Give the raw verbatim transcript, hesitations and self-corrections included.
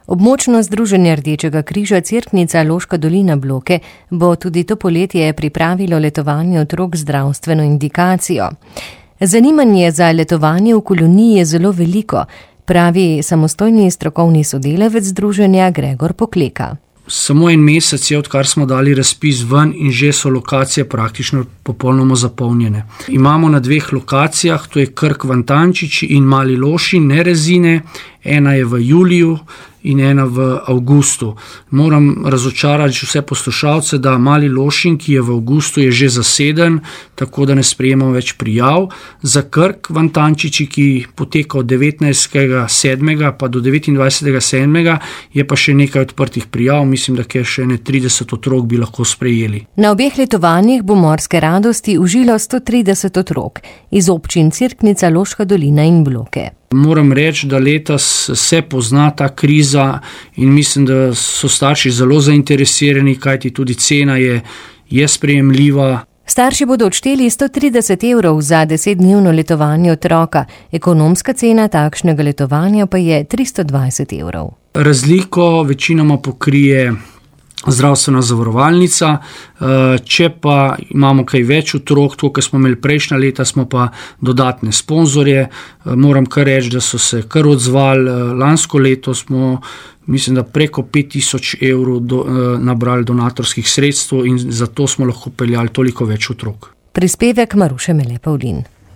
Območno združenje Rdečega križa Cerknica Loška dolina Bloke bo tudi to poletje pripravilo letovanje otrok z zdravstveno indikacijo. Zanimanje za letovanje v koloniji je zelo veliko, pravi samostojni strokovni sodelavec združenja Gregor Pokleka. Samo en mesec je, odkar smo dali razpis ven in že so lokacije praktično popolnoma zapolnjene. Imamo na dveh lokacijah, to je Krk Vantančič in Mali Lošin, ne Rezine, ena je v juliju in ena v avgustu. Moram razočarati vse poslušalce, da Mali Lošin, ki je v avgustu, je že zaseden, tako da ne sprejemamo več prijav. Za Krk Vantančiči, ki poteka od devetnajstega sedmega pa do devetindvajsetega sedmega, je pa še nekaj odprtih prijav, mislim, da je še ne trideset otrok bi lahko sprejeli. Na obeh letovanjih bo morske radosti užilo sto trideset otrok iz občin Cerknica, Loška dolina in Bloke. Moram reči, da letos se pozna ta kriza in mislim, da so starši zelo zainteresirani, kajti tudi cena je, je sprejemljiva. Starši bodo odšteli sto trideset evrov za desetdnevno letovanje otroka, ekonomska cena takšnega letovanja pa je tristo dvajset evrov. Razliko večinoma pokrije zdravstvena zavarovalnica, če pa imamo kaj več otrok, to, kar smo imeli prejšnja leta, smo pa dodatne sponzorje. Moram kar reči, da so se kar odzvali. Lansko leto smo, mislim, da preko pet tisoč evrov do, nabrali donatorskih sredstev in zato smo lahko peljali toliko več otrok. Prispevek Maruše Mele Pavlin.